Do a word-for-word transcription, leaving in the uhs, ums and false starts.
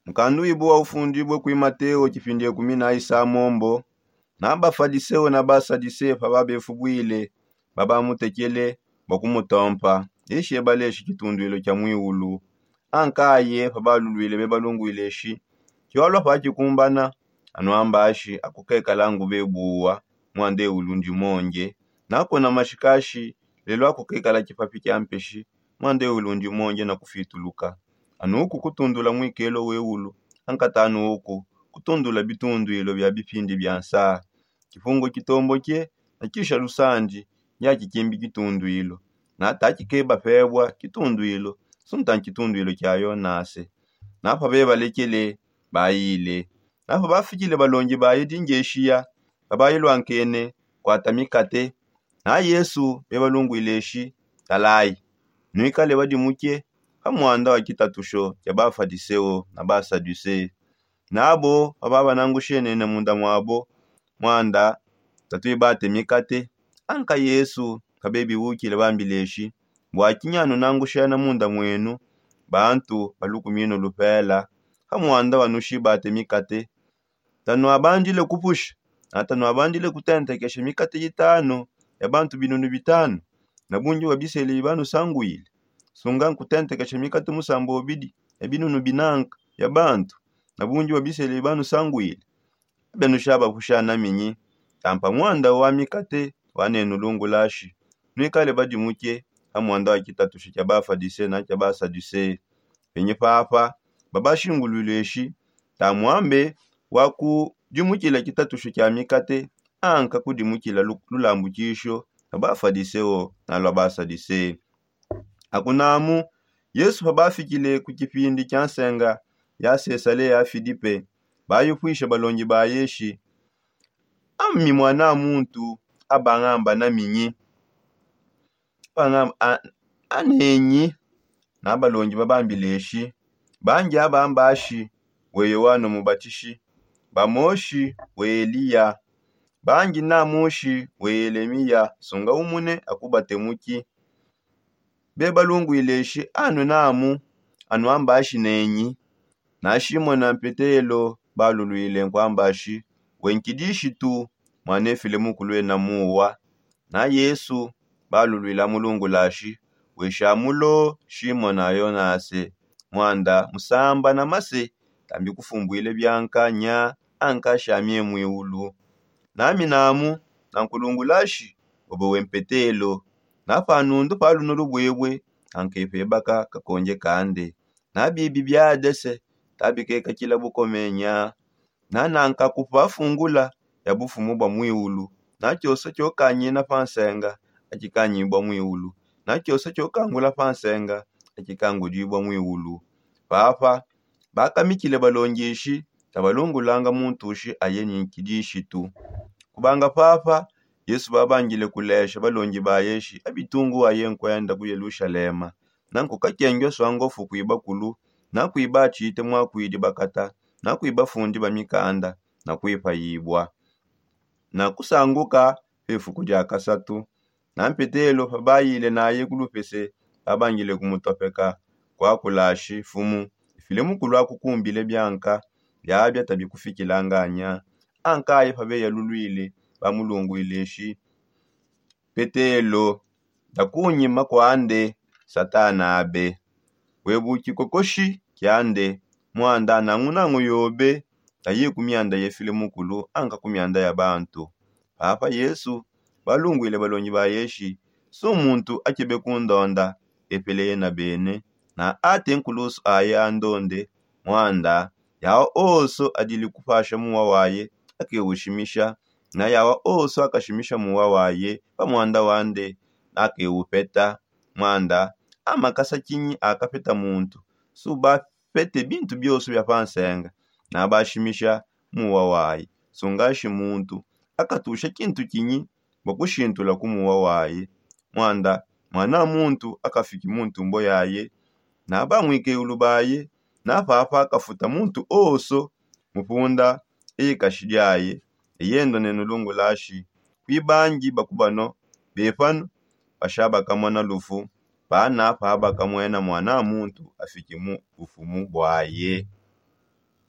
Mukandu wibu wa ufundibue kui mateo tshipindi ekumi na isamombo. Na bafadiseo na basadiseo pa babefubwile babamutekele bua kumutompa, eshi ebaleshi tshitunduilo tshia muiulu. Ankaye pa balulwile bebalungwile eshi tshiwalua pa tshikumbana, anu ambashi akukekala ngube buwa. Muanda eulu ndi monje nakona mashikashi lelu akukekala tshipapi tshia mpeshi. Muanda eulu ndi monje na kufituluka. Anuku kutundula muikelo weulu. Ankatanu uku kutundula bitunduilo bia bipindi bia nsaa. Tshipungu tshitomboke na tshisha lusandi ndiatshikimbi tshitunduilo. Nata tshikeba pebua tshitunduilo sunta ntshitunduilo tshia yonase. Napa bebalekele bayile. Napa bafikile balongi baye dingeshiya babayi lwankene kwata mikate. Na yesu bebalungwile eshi talayi, nuikale badimuke pa muanda wa tshitatusho tshia bafadiseo na basaduseo. Nabo pababa nangushene ne munda muabo muanda tatuibate mikate. Anka yesu pabebiwukile bambile eshi, bua tshinyi anu nangushena munda muenu bantu balukuminu lupela pa muanda wanushibate mikate? Tanuabandile kupusha na tanuabandile kutentekesha mikate itanu ya bantu binunu bitanu? Na bungi bua bisele bibanusanguile sunga nkutentekesha mikate musamba obidi ya binunu binanka ya bantu? Na bungi bua bisele bibanusanguile. Benushaba pushana minyi? Tampa muanda wa mikate wa nenu lungulashi nuikale badimuke pa muanda wa tshitatusho tshia bafadise na tshia basaduse. Penyi papa babashingulwile eshi tamuambe wa kudimukila tshitatusho tshia mikate anka kudimukila lulambukisho lwa bafadiseo na lwa basaduse. Akunamu yesu pabafikile ku tshipindi tshia nsenga ya sesalea filipe bayupuisha balongi baye eshi, ami muana muntu abangamba na minyi? Anenyi. Na balongi babambile eshi, bangi abamba ashi we yoano mubatishi, bamoshi we eliya, bangi namushi we yelemiya sunga umune akubate muki? Bebalungwile eshi anu namu anuamba ashi nenyi. Na shimona mpetelo balulwile nkuamba ashi, we nkidishitu, muanefile mukulu ena muwa. Na yesu balulwile amulungulashi, we shamulo shimona yonase, muanda musamba na mase tambi kufumbwile bianka nya anka shamie muiulu. Nami namu nankulungulashi, bobo we mpetelo. Na panundu pa lunu lubwebwe ankepebaka kakonje kande. Na bibi biadese tabikekakila bukomenya. Na nankakupa fungula ya bufumu bua muiulu. Na tshioso tshiokanyina pa nsenga atshikanyibua muiulu. Na tshioso tshiokangula pa nsenga atshikangudibua muiulu. Papa bakamikile balongi eshi tabalungulanga muntu ushi aye ni nkidishitu. Kubanga papa yesu babangile kulesha balongi baye eshi abitungu waye nkuenda ku yelushalema. Na nkukakengua swangofu kuiba kulu na kuiba atshite muakuidi bakata na kuiba fundi ba mikanda na kuipayibua na kusanguka pefuku dia kasatu. Na mpetelo pabayile naye ku lupese babangile kumutopeka kuakulashi fumu ifile mukulu akukumbile bianka biabia tabikufikilanganya. Ankaye pabeyalulwile bamulungwile eshi, petelo, dakunyima kuande satana abe. Webu tshikokoshi kiande muanda nangunangu yobe taye ku mianda yefile mukulu anka ku mianda ya bantu. Papa yesu balungwile balongi baye eshi, su muntu akebe kundonda epele yena bene na ate nkulusu aye andonde. Muanda yawa onso adili kupasha muwa waye akewushimisha. Na yawa onso akashimisha muwa waye pa muanda wande akewupeta. Muanda amakasa tshinyi akapeta muntu? Su bapete bintu bionso bia pa nsenga na bashimisha muwa waye. Sungashi muntu akatusha tshintu tshinyi bua kushintula ku muwa waye? Muanda muana muntu akafiki mu ntumbo yaye na bamuikeyulu baye. Na papa akafuta muntu onso mupunda eye kashi diaye. Eyendo ne nulungulashi kuibangi bakubano bepanu bashabakamona lufu pana pabakamwena muana muntu afiki mu bufumu buaye.